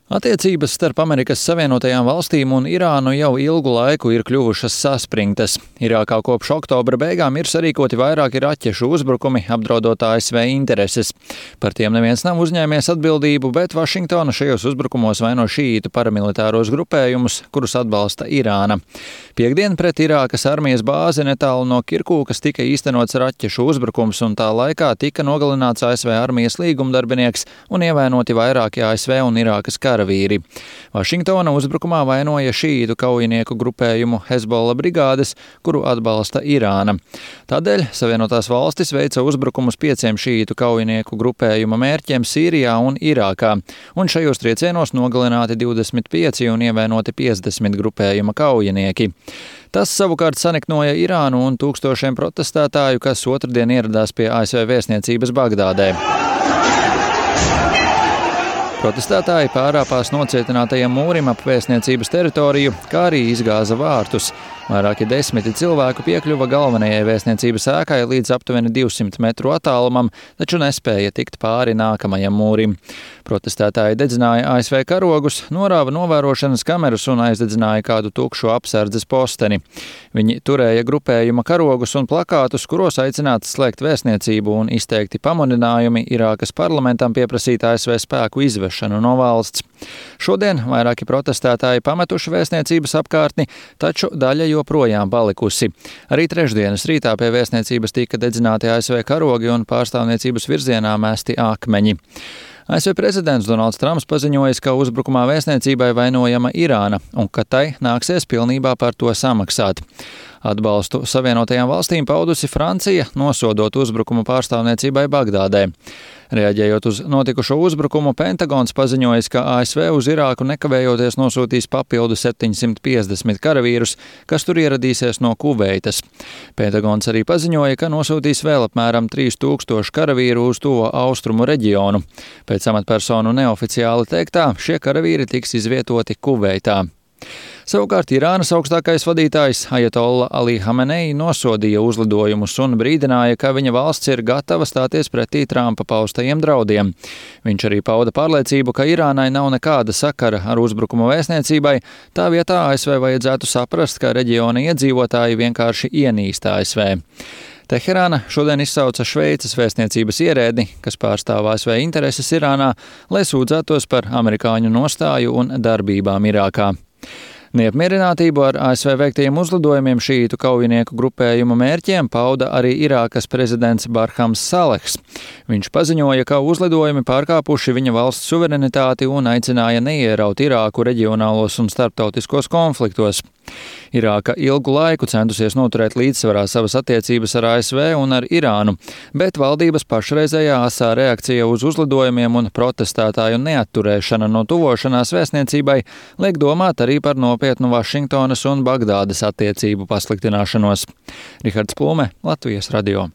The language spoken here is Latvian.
Attiecības starp Amerikas Savienotajām valstīm un Irānu jau ilgu laiku ir kļuvušas saspringtas. Irākā kopš oktobra beigām ir sarīkoti vairāki raķešu uzbrukumi, apdraudot ASV intereses. Par tiem neviens nav uzņēmies atbildību, bet Vašingtona šajos uzbrukumos vaino šīītu paramilitāros grupējumus, kurus atbalsta Irāna. Piektdien pret Irākas armijas bāzi netālu no Kirkūkas tika īstenots raķešu uzbrukums, un tā laikā tika nogalināts ASV armijas līgumdarbinieks un ievainoti vairāki ASV un Irākas karavīri. Vašingtona uzbrukumā vainoja šīītu kaujinieku grupējumu Hezbollah brigādes, kuru atbalsta Irāna. Tādēļ Savienotās valstis veica uzbrukumus 5 šīītu kaujinieku grupējuma mērķiem Sīrijā un Irākā, un šajos triecienos nogalināti 25 un ievainoti 50 grupējuma kaujinieki. Tas savukārt saniknoja Irānu un tūkstošiem protestētāju, kas otrdien ieradās pie ASV vēstniecības Bagdādē. Protestētāji pārāpās nocietinātajam mūrim ap vēstniecības teritoriju, kā arī izgāza vārtus. Vairāki desmiti cilvēku piekļuva galvenajai vēstniecības ēkai līdz aptuveni 200 metru attālumam, taču nespēja tikt pāri nākamajam mūrim. Protestētāji dedzināja ASV karogus, norāva novērošanas kameras un aizdedzināja kādu tukšu apsardzes posteni. Viņi turēja grupējuma karogus un plakātus, kuros aicināts slēgt vēstniecību un izteikti pamudinājumi Irākas parlamentam pieprasīt ASV spēku izvešanu no valsts. Šodien vairāki protestētāji pametuši vēstniecības apkārtni, taču daļa joprojām palikusi. Arī trešdienas rītā pie vēstniecības tika dedzināti ASV karogi un pārstāvniecības virzienā mesti akmeņi. ASV prezidents Donalds Trumps paziņojis, ka uzbrukumā vēstniecībai vainojama Irāna un ka tai nāksies pilnībā par to samaksāt. Atbalstu Savienotajām valstīm paudusi Francija, nosodot uzbrukumu pārstāvniecībai Bagdādē. Reaģējot uz notikušo uzbrukumu, Pentagons paziņojis, ka ASV uz Irāku nekavējoties nosūtīs papildu 750 karavīrus, kas tur ieradīsies no Kuveitas. Pentagons arī paziņoja, ka nosūtīs vēl apmēram 3000 karavīru uz to austrumu reģionu. Pēc amatpersonu neoficiāli teiktā, šie karavīri tiks izvietoti Kuveitā. Savukārt Irānas augstākais vadītājs Ajatolla Ali Hamenei nosodīja uzlidojumus un brīdināja, ka viņa valsts ir gatava stāties pretī Trumpa paustajiem draudiem. Viņš arī pauda pārliecību, ka Irānai nav nekāda sakara ar uzbrukumu vēstniecībai, tā vietā ASV vajadzētu saprast, ka reģiona iedzīvotāji vienkārši ienīst ASV. Teherāna šodien izsauca Šveices vēstniecības ierēdni, kas pārstāv ASV intereses Irānā, lai sūdzētos par amerikāņu nostāju un darbībām Irākā. Neapmierinātību ar ASV veiktajiem uzlidojumiem šīītu kaujinieku grupējumu mērķiem pauda arī Irākas prezidents Barhams Salehs. Viņš paziņoja, ka uzlidojumi pārkāpuši viņa valsts suverenitāti un aicināja neieraut Irāku reģionālos un starptautiskos konfliktos. Irāka ilgu laiku centusies noturēt līdzsvarā savas attiecības ar ASV un ar Irānu, bet valdības pašreizējā asā reakcija uz uzlidojumiem un protestētāju neatturēšana no tuvošanās vēstniecībai liek domāt arī par nopietnu Vašingtonas un Bagdādas attiecību pasliktināšanos. Rihards Plume, Latvijas radio.